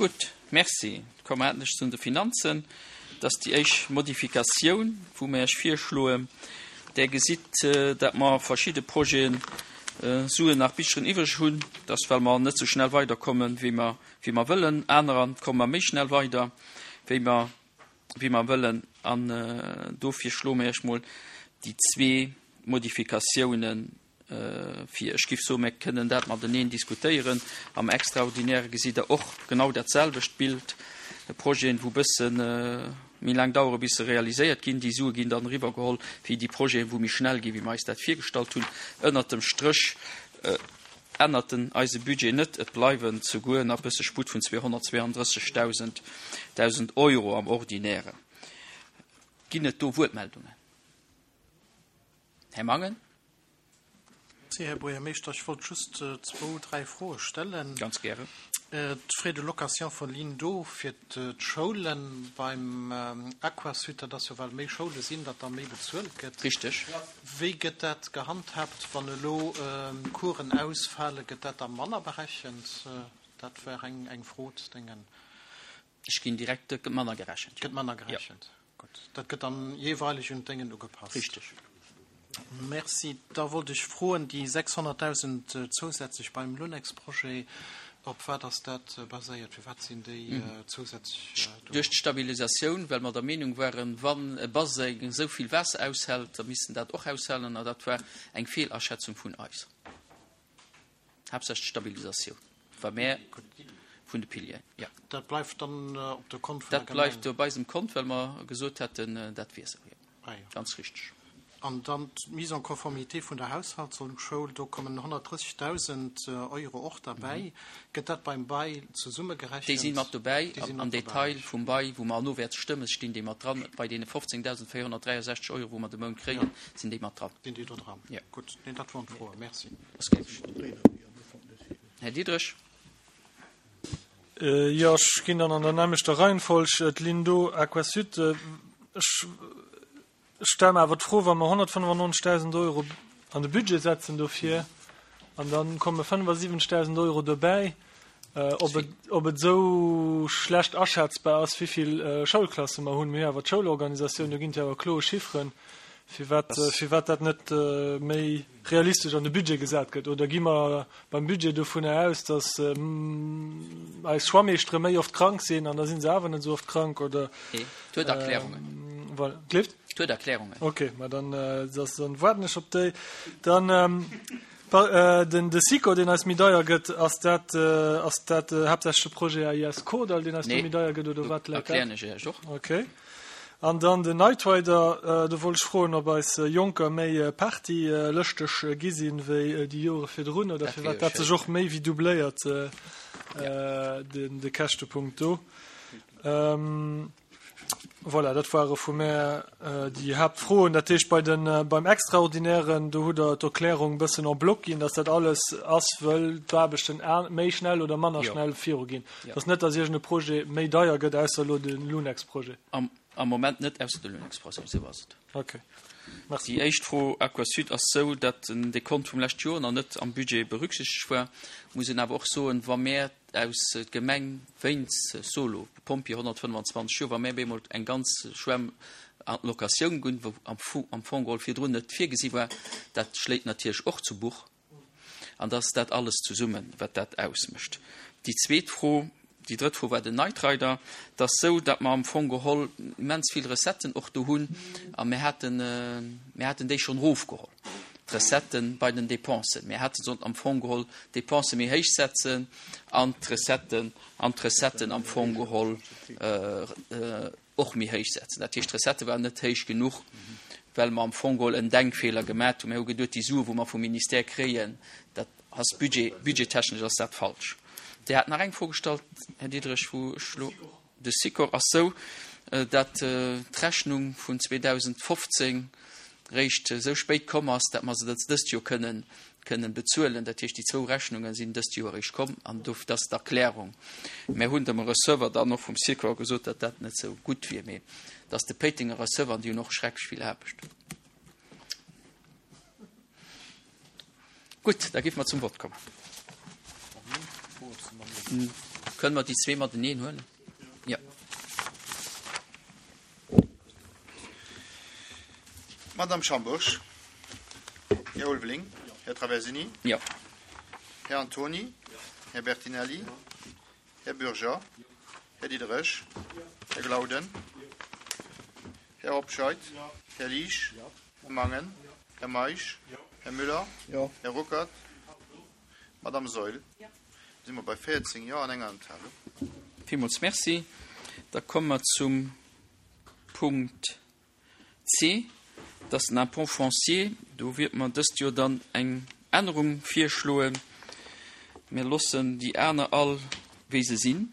Gutt, Merci. Komme mer endlech zu de Finanzen. Dat ass déi éischt Modifikatioun, wou mer Iech virschloen. Där gesitt, dat mer verschidde Projeten Suen nach bicheren iwwreg hunn. Dat ass, well mer net esou schnell weiderkommen, wéi mer, wéi mer wëllen. Anerer komme mer méi schnell weider, wéi mer, wéi mer wëllen. An dofir schloe mer Iech mol déi zwee Modifikatiounen vir. Ech giff soen, mir kënnen dat mateneen diskutéieren. Am Extraordinäre gesitt Der och genau dat selwecht Bild, Projeten, wou bësse méi laang dauere bis se realiséiert ginn. Déi Sue ginn dann eriwwergeholl fir déi Projeten, wou méi schnell ginn, wéi mer eis dat virgestallt hunn. Ënnert dem Stréch ännert den eise Budget net. Et bleiwen souguer nach bësse Sputt vun 232.000 Euro am Ordinären. Ginn et do Wuertmeldungen? Här Mangen. Merci, Här Buergermeeschter. Ech wollt just zwou, dräi Froe stellen. Ganz gären. D'Frais de location vun Ligne d'eau fir d'Schoulen beim Aquasud, dat ass jo, well méi Schoule sinn, datt da méi bezuelt gëtt. Richteg. Wéi gëtt dat gehandhaabt, wann elo Coursen ausfalen? Gëtt dat da manner berechent? Dat wär eng Fro ze dengen. Ech ginn direkt, dat gëtt manner gerechent. Gëtt manner gerechent. Gutt. Dat gëtt dann jeeweileg un d'Déngen ugepasst. Richteg. Merci. Da wollt ech froen, déi 600.000 zousätzlech beim Lunex-Projet, op wat ass dat baséiert? Firwat sinn déi zousätzlech do? Duerch d'Stabilisatioun, well mer der Meenung waren, wann e Baseng esou vill Waasser aushält, da misst en dat och aushalen. A dat war eng Feelaschätzung vun eis. Haaptsächlech d'Stabilisatioun, wa mär vun de Pilieren, jo. Dat bleift dann op de Kont vun der Gemeng? Dat bleift op eisem Kont, well mer gesot hätten, dat wier esou, jo. Ah jo. Ganz richteg. An dann d'Mise en conformité vun der Haushaltsschoul, do kommen 130.000 Euro och derbäi. Gëtt dat beim Bail zesummegerechent? Déi si mat dobäi. Am Detail vum Bail, wou mer herno wäerte stëmmen, stinn déi mat dran. Bei deene 15.463 Euro, wou mer de Mount kréien, sinn déi mat dran. Sinn déi do dran? Jo. Gutt, nee, dat woren d'Froen. Merci. Här Diderich. Jo, ech ginn dann an der nämmlechter Reihenfolg. D'Linn do, Aquasud, ech stelle mer awer d'Fro, wa mer 195.000 Euro an de Budget setzen dofir an da komme 75.000 Euro dobäi, ob et, ob et esou schlecht aschätzbar ass, wéivill Schoulklasse mer hunn. Mir hu jo awer d'Schoulorganisatioun, do ginn et jo awer kloer Chifferen, firwat, firwat dat net méi realistesch an de Budget gesat gëtt? Oder gi mer beim Budget dovunner aus, datt eis Schwammeeschtere méi oft krank sinn an da si se awer net esou oft krank? Oder, Nee, et huet Erklärungen. Voilà. Gleeft? Et huet Erklärungen. Okay, ma dann, dann waarden ech op déi. Dann den de Sikor, deen eis méi deier gëtt, ass dat, ass dat haaptsächlech de Projet AIS Kordall, deen eis do méi deier gëtt, oder wat läit dat? Erklären ech Iech och. Okay. An dann den Night Rider, do wollt ech froen, ob eis Jonker méi partylëschteg gi sinn wéi déi Jore virdrun oder firwat dat sech och méi wéi doubléiert, de Käschtepunkt do. Voilà, dat ware vu mär déi Haaptfroen. Dat heescht, bei den, beim Extraordinären, do hutt Der d'Erklärung e bëssen en bloc ginn, dass dat alles ass, wëll d'Aarbechten méi schnell oder manner schnell viruginn. Et ass net, dass iergend e Projet méi deier gëtt, ausser elo de Lunex-Projet. Am Moment net, ausser de Lunex-Projet, esou ass et. Okay. Merci. Déi éischt Fro, Aquasud, ass esou, datt den Dekont vum leschte Joer nach net am Budget berücksichtegt war. Muss een awer och soen, wa mär aus d'Gemeng wéinst Solo, Pompjee 125 Joer, wa mär bemol eng ganz Schwämm an d'Locatioun gunn, wou am Fong geholl virdrun net virgesi war, dat schléit natierlech och zu Buch. An dass dat alles zesummen, wat dat ausmécht. Déi zweet Fro, déi drëtt Fro war den Night Rider. Et ass esou, datt mer am Fong geholl immens vill Recetten och do hunn a mir haten, mir haten déi schonn erofgeholl, d'Recetten bei den Dépensen. Mir hätte sollten am Fong geholl d'Dépense méi héich setzen an d'Recetten, an d'Recetten am Fong geholl och méi héich setzen. Dat heescht, d'Recettë waren net héich genuch, well mer am Fong geholl en Denkfeeler gemat hunn. Mir hu geduet, déi Sue wou mer vum Ministère kréien, dat ass Budget, budgettechnesch ass dat falsch. Dir hat nach eng Fro gestallt, Här Diderich, wou ech elo. De Sikor ass sou, dat d'Rechnung vun 2015 réischt esou spéit komm ass, dat mer se dëst Joer kënnen kënnen bezuelen. Dat heescht, déi zwou Rechnunge sinn dëst Joer eréischt komm an do dat ass d'Erklärung. Mär hunn dem Receveur dann och vum Sikor gesot, datt dat net sou gutt wier, mee et ass de Péitenger Receveur an déi hunn och schrecklech vill Aarbecht. Gutt, da géife mer zum Vott kommen. Kënnen mer déi zwee mateneen huelen? Jo. Madame Schambourg, Här Ulveling, Här Traversini, Jo. Här Antony, Här Bertinelli, Här Bürger, Här Diderich, Här Glauden, Här Hobscheit, Här Liesch, Här Mangen, Här Meisch, Här Müller, Här Ruckert, Madame Saeul. Si mer bei 14 Jo an enger Enthalung. Villmools Merci. Da komme mer zum Punkt C, dat ass den Impôt foncier. Do wierte mer dëst Joer dann eng Ännerung virschloen. Mir loossen déi aner all, wéi se sinn.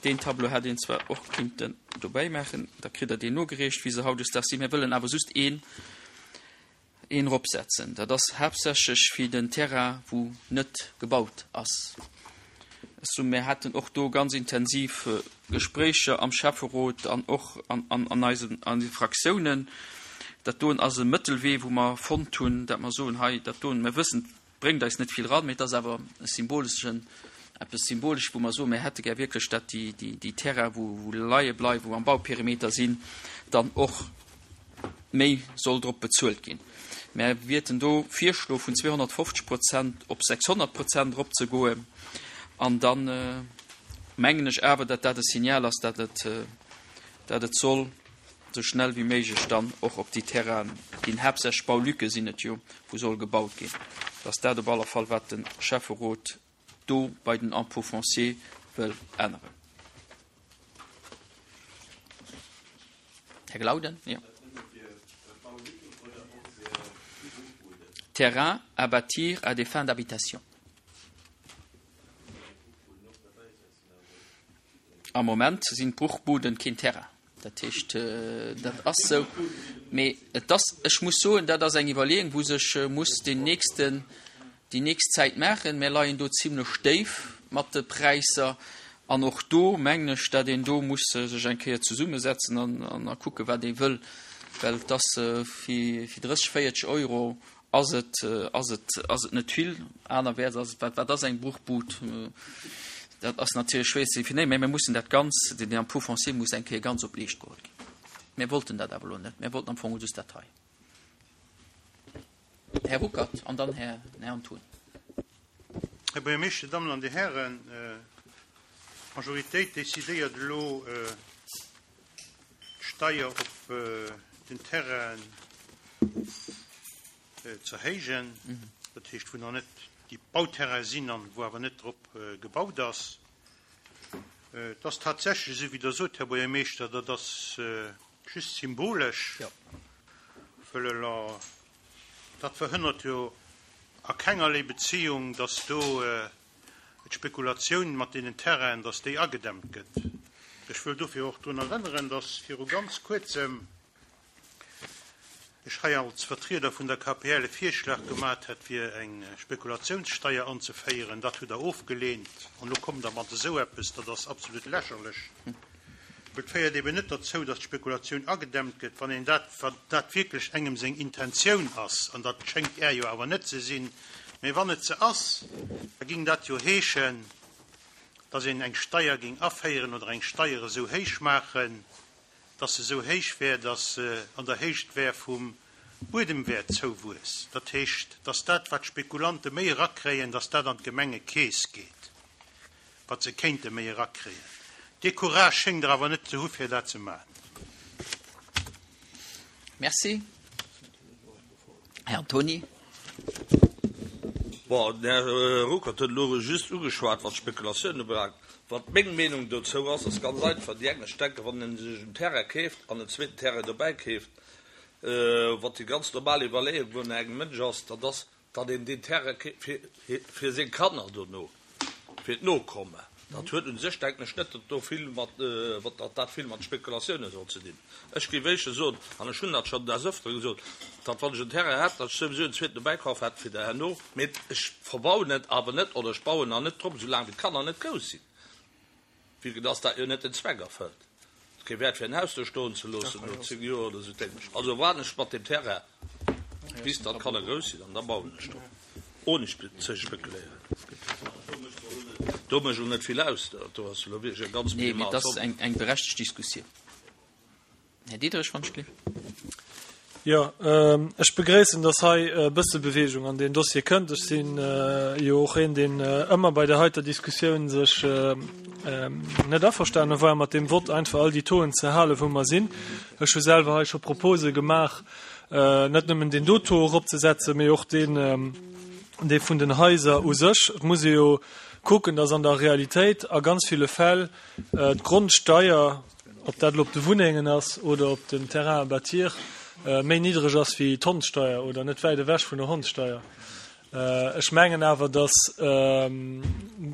Deen Tableau hätt een zwar och kinnten dobäi maachen, da kritt Der deen nogereecht, wéi se hautdesdaags sinn. Mir wëllen awer just een een eropsetzen. Dat ass haaptsächlech fir den Terrain, wou net gebaut ass. Ech soen, mir haten och do ganz intensiv Gespréicher am Schäfferot an och an eisen an de Fraktiounen. Dat doen ass e Mëttelwee, wou mer fonnt hunn, dat mer soen, hei dat doen, mir wëssen, et bréngt eis net vill eran, mee et ass awer e symboleschen, eppes Symbolesches, wou mer soen, mir hätte gär wierklech, dat déi, déi, déi Terrain, wou, wou leie bleiwen, wou am Bauperimeter sinn, dann och méi soll drop bezuelt ginn. Mär wierten do virschloe vun 250 Prozent op 600 Prozent eropzegoen. An da mengen ech awer, datt dat e Signal ass, datt et, datt et soll esou schnell wéi méiglech dann och op déi Terrainen ginn, haaptsächlech Baulücke sinn et jo, wou soll gebaut ginn, datt dat op alle Fall, wat de Schäfferot do bei den Impôts fonciers wëll änneren. Här Glauden, jo. Terrains à bâtir à des fins d'habitation. Am Moment sinn d'Bruchbuden keen Terrain. Dat heescht, dat ass esou. Mee et ass, ech muss soen, dat ass eng Iwwerleeung, wou sech muss den nächsten, déi nächst Zäit maachen. Mir leien do zimlech déif mat de Präisser. An och do mengen ech, datt een do muss sech eng Kéier zesummesetzen an a kucken, wat ee wëll. Well et ass fir 30, 40 Euro Ass et, ass et, ass et net vill? Anerwäerts ass et, wat, wat ass eng Bruchbud? Dat ass natierlech schwéier ze definéieren, mä mir mussen dat Ganz, den Impôt foncier muss eng Kéier ganz op d'Leescht geholl ginn. Mir wollten dat awer elo net. Mir wollten am Fong just dat hei. Här Ruckert an dann Här, Här Antoun. Här Buergermeeschter, Dir Dammen an Dir Hären, d'Majoritéit decidéiert elo, d'Steier op den Terrainen ze erhéijen, dat heescht wou nach net déi Bauterraine sinn an wou awer net drop gebaut ass. Et ass tatsächlech esou wéi Der sot, Här Buergermeeschter, dat ass just symbolesch, wëll dat verhënnert jo a kengerlee Beziehung, dass do d'Spekulatioun mat deenen Terrainen, dass déi agedämmt gëtt. Ech wëll dofir och drun erënneren, dass viru ganz Kuerzem ech hei als Vertrieder vun der KPL e Virschlag gemat hätt, fir eng Spekulationssteier anzeféieren. Dat hutt Der ofgelehnt. An elo kommt Der mat esou eppes. Dat ass absolut lächerlech. Et féiert eben net derzou, dass d'Spekulatioun agedämmt gëtt, wann een dat, wann dat wierklech engem seng Intentioun ass, an dat schéngt Är jo awer net ze sinn, mä wann et se ass, da ging dat jo heeschen, dass een eng Steier ging aféieren oder eng Steier esou héich maachen, dass se esou héich wär, dass se an der Héicht wär vum Buedemwäertzouwuess. Dat heescht, dass dat, wat d'Spekulante méi erakréien, dass dat an d'Gemengekeess geet. wat se kéinte méi erakréien. Dee Courage schéngt Der awer net ze hu fir dat ze maachen. Merci. Här Antony. Bon, den Här Ruckert huet elo just ugeschwat, wat d'Spekulatioun ubelaangt. Wat meng Meenung dozou ass, ass ganz einfach, Déi eng, ech denken, wann ee sech en Terrain keeft an en zweeten Terrain dobäi keeft, wat déi ganz normal Iwwerleeung vun engem Mënsch ass, dat ass, Datt een deen Terrain fir seng Kanner dono, fir d'Nokomme, dat huet u sech, denken ech, net, datt do vill mat, datt dat vill mat Spekulatioune soll ze dinn. Ech géif éischter soen, an ech hunn dat schonn des Öfteren gesot, datt wann ech en Terrain hätt, datt ech souwisou en zweeten dobäi kaf hätt fir der herno, mee ech verbauen et awer net oder ech bauen nach net drop, soulaang wéi d'Kanner net grouss sinn. Vue que dass dat jo net den Zweck erfëllt. Et ass kee Wäert fir en Haus do stoen ze loossen no 10 Joer oder sou d'Émescht. Also waarden ech mat deem Terrain bis datt d'Kanner grouss sinn an da bauen ech drop, ohne ze spekuléieren. Do mécht elo net vill aus, do ass elo wierklech eng ganz minimal Somme. Nee, mee et ass eng eng berechtegt Diskussioun. Här Diderich, wann ech gleef. Jo, ech begréissen, dass hei e bësse Bewegung an deen Dossier kënnt. Ech si jo och een, deen ëmmer bei där heiter Diskussioun sech net averstane war mat deem Vott, einfach all déi Tauxen ze halen, wou mer sinn. Ech hu selwer hei scho Propose gemaach, net nëmmen deen do Taux eropzesetzen, mee och deen, dee vun den Haiser u sech. Et muss ee jo kucken, dass an der Realitéit a ganz ville Fäll d'Grondsteier, ob dat elo op de Wunnengen ass oder op den Terrains à bâtir, méi niddreg ass wéi d'Hondssteier oder net wäit ewech vun der Hondssteier. Ech mengen awer, datt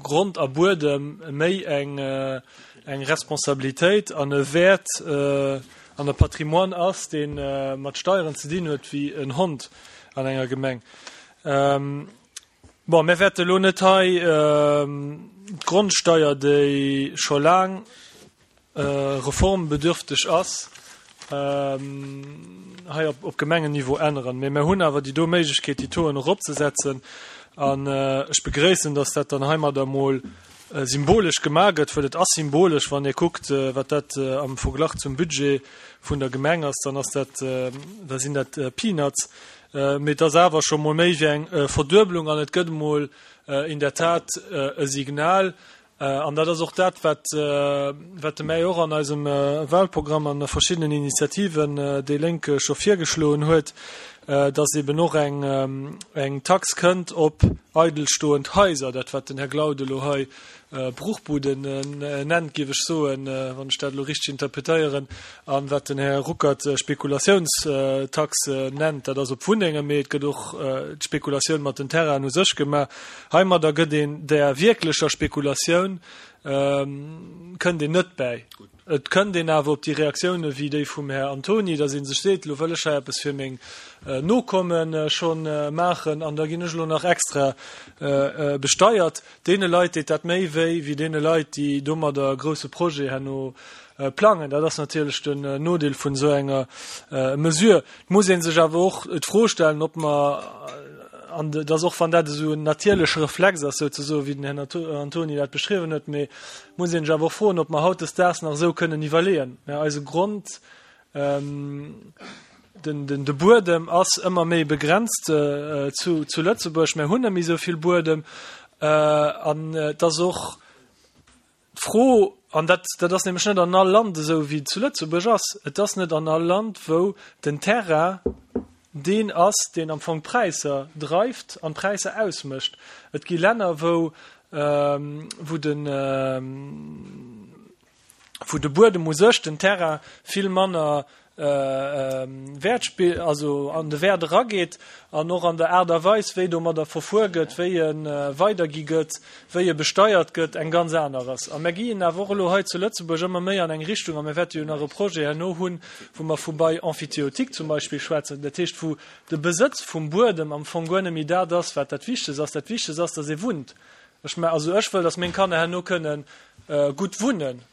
Grond a Buedem méi eng eng Responsabilitéit an e Wäert an e Patrimoine ass, dee mat Steieren ze dinn huet, wéi en Hond an enger Gemeng. Bon, mir wäerte elo net hei d'Grondsteier, déi scho laang reformbedürfteg ass, hei op Gemengenniveau änneren. Mee mir hunn awer déi do Méiglechkeet, déi Tauxen eropzesetzen. An ech begréissen, dass dat dann heimadder emol symbolesch gemaach gëtt, well et ass symbolesch, wann Dir kuckt, wat dat am Verglach zum Budget vun der Gemeng ass, dann ass dat, da sinn dat Peanuts. Mee et ass awer scho mol méi wéi eng Verduebelung an et gëtt emol in der Tat e Signal, An dat ass och dat, wat, wat de May och an eisem Wahlprogramm an a verschiddenen Initiativen déi Lénk scho virgeschloen huet, dass eben och eng, eng Tax kënnt op eidelstoend Haiser, dat wat den Här Glaud elo hei Bruchbuden nennt, géif ech soen, wann ech dat elo richteg interpretéieren, a wat den Här Ruckert Spekulatiounstax nennt, dat ass op Wunnengen, mee et gëtt och d'Spekulatioun mat den Terrainen u sech gemaach. Heimadder gëtt een där wierklecher Spekulatioun, kënnt een net bäi. Et kënnt een awer op déi Reaktioune wéi déi vum Här Antoni, datt ee sech seet, elo wëll ech hei eppes fir meng Nokomme scho maachen an da ginn ech elo nach extra besteiert. Deene Leit deet dat méi wéi, wéi deene Leit, déi domadder e grousse Projet herno plangen. Dat ass natierlech den Nodeel vun esou enger Mesure. Et muss ee sech awer och d'Fro stellen, ob mer, an dass och wann dat esou en natierleche Reflex ass souzesoen, wéi den Här Antoni dat beschriwwen huet, mee et muss ee sech awer och froen, ob mer hautdesdaags nach esou kënnen iwwerleeën. Mä eise Grond, den, den, de Buedem ass ëmmer méi begrenzt zu, zu Lëtzebuerg. Mir hunn net méi esou vill Buedem an et ass och, D'Fro, an dat, dat ass nämlech net an all Land esou wéi et zu Lëtzebuerg ass, et ass net an all Land, wou den Terrain deen ass, deen am Fong d'Präisser dreift an d'Präisser ausmécht. Et gi Länner, wou, wou de, wou de Buedem u sech, den Terrain vill manner Wäert spillt, also an de Wäert erageet an och an der Aart a Weis, wéi domadder verfuer gëtt, wéi e weidergi gëtt, wéi e besteiert gëtt, eng ganz aner ass. A mir ginn awer och elo hei zu Lëtzebuerg ëmmer méi an eng Richtung, a mir wäerte jo nach e Projet herno hunn, wou mer vu Bail emphytéotique zum Beispill schwätzen, dat heescht, wou de Besëtz vum Buedem am Fong guer net méi dat ass, wat dat Wichtegst ass. Dat Wichtegst ass, dass ee wunnt. Ech, also ech wëll, dass meng Kanner herno kënnen gutt wunnen.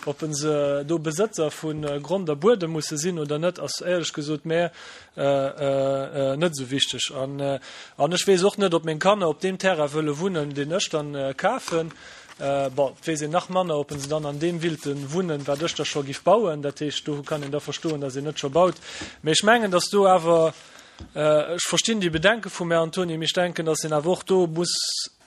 Ob se do Besëtzer vu Grond a Buedem musse sinn oder net, ass éierlech gesot mär net esou wichteg. An ech weess och net, ob meng Kanner op deem Terrain wëlle wunnen, deen ech dann kafen. Bon, et weess een nach manner, ob se dann an deem willte wunnen, wat ech da scho giff bauen. Dat heescht, do kann een da verstoen, datt een net scho baut. Mee ech mengen, datt do awer, ech verstinn déi Bedenke vum Här Antony, mee ech denken, datt een awer och do muss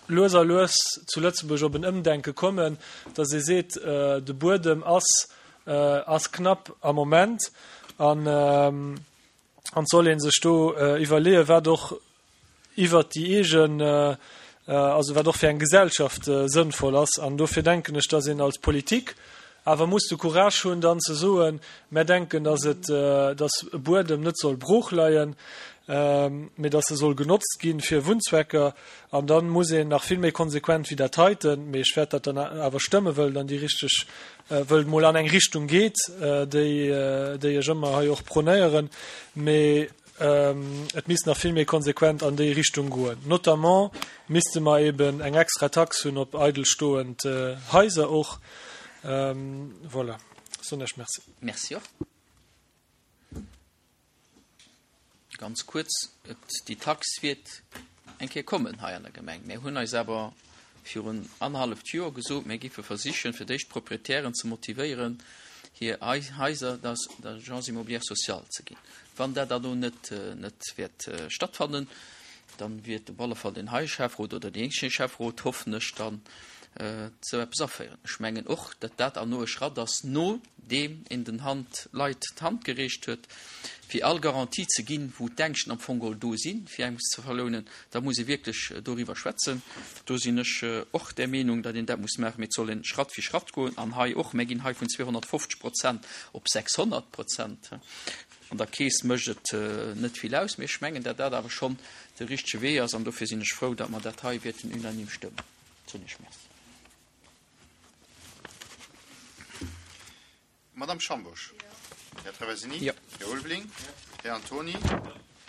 lues a lues zu Lëtzebuerg op en Ëmdenke kommen, datt ee seet, de Buedem ass ass knapp am Moment an an et soll ee sech do iwwerleeën, wat och iwwert déi eegen, also wat och fir eng Gesellschaft sënnvoll ass. An dofir denken ech, datt een als Politik awer muss de Courage hunn, dann ze soen, Mär denken, datt et, datt e Buedem net soll brooch leien, mee datt e soll genotzt gi fir Wunnzwecker. An da muss een nach vill méi konsequent wéi dat heiten, mee ech wäert dat dann awer stëmmen, wëll et an déi richteg, wëll et mol an eng Richtung geet, déi, déi ech ëmmer hei och prônéieren, mee et misst nach vill méi konsequent an déi Richtung goen. Notamment misste mer eben eng extra Tax hunn op eidelstoend Haiser och. Voilà, soen ech Merci. Merci och. Ganz kuerz, et, déi Tax wäert eng Kéier kommen hei an der Gemeng. Mir hunn eis awer. Virun annerhalleft Joer gesot, mir géife versichen, fir d'éischt d'Proprietären ze motivéieren, hir Haiser der Agence immobilière sociale ze ginn. Wann dat dann elo net net wäert stattfannen, dann wiert op alle Fall den heie Schäfferot oder deen nächste Schäfferot, hoffen ech, dann esou eppes aféieren. Ech mengen och, datt dat erno e Schratt ass, nodeem een den Hand Leit d'Hand gereecht huet, fir all Garantie ze ginn, wou d'Ängschten am Fong geholl do sinn, fir engem ze verlounen, da muss ee wierklech doriwwer schwätzen. Do sinn ech och där Meenung, datt een dat muss maachen, mee et soll ee Schratt fir Schratt goen. An hei och, mir ginn hei vun 250 Prozent op 600 Prozent. An der Keess mécht et net vill aus, mee ech mengen, datt dat awer schonn de richtege Wee ass an dofir sinn ech frou, datt mer dat hei wäerten unanime stëmmen. Soen ech Merci. Madame Schambourg. Här Traversini. Jo. Här Ulveling. Här Antoni.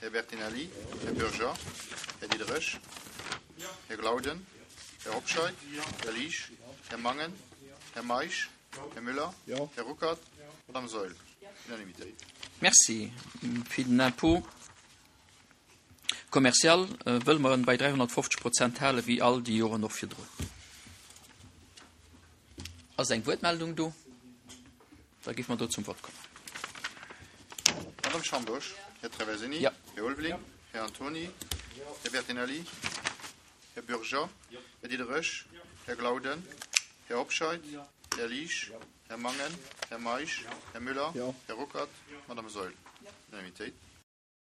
Här Bertinelli. Här Bürger. Här Diderich. Här Glauden. Här Hobscheit. Här Liesch. Här Mangen. Här Meisch. Här Müller. Här Ruckert. Madame Saeul. Unanimitéit. Merci. Fir den Impôt commercial wëlle mer en bei 350 Prozent hale wéi all déi Joren och virdrun. Ass eng Wuertmeldung do? Da géife mer do zum Vott kommen. Madame Schambourg. Här Traversini. Jo. Här Ulveling. Här Antoni. Här Bertinelli. Här Bürger. Här Diderich. Här Glauden. Här Hobscheit. Här Liesch. Här Mangen. Här Meisch. Här Müller. Här Ruckert. Madame Saeul. Unanimitéit.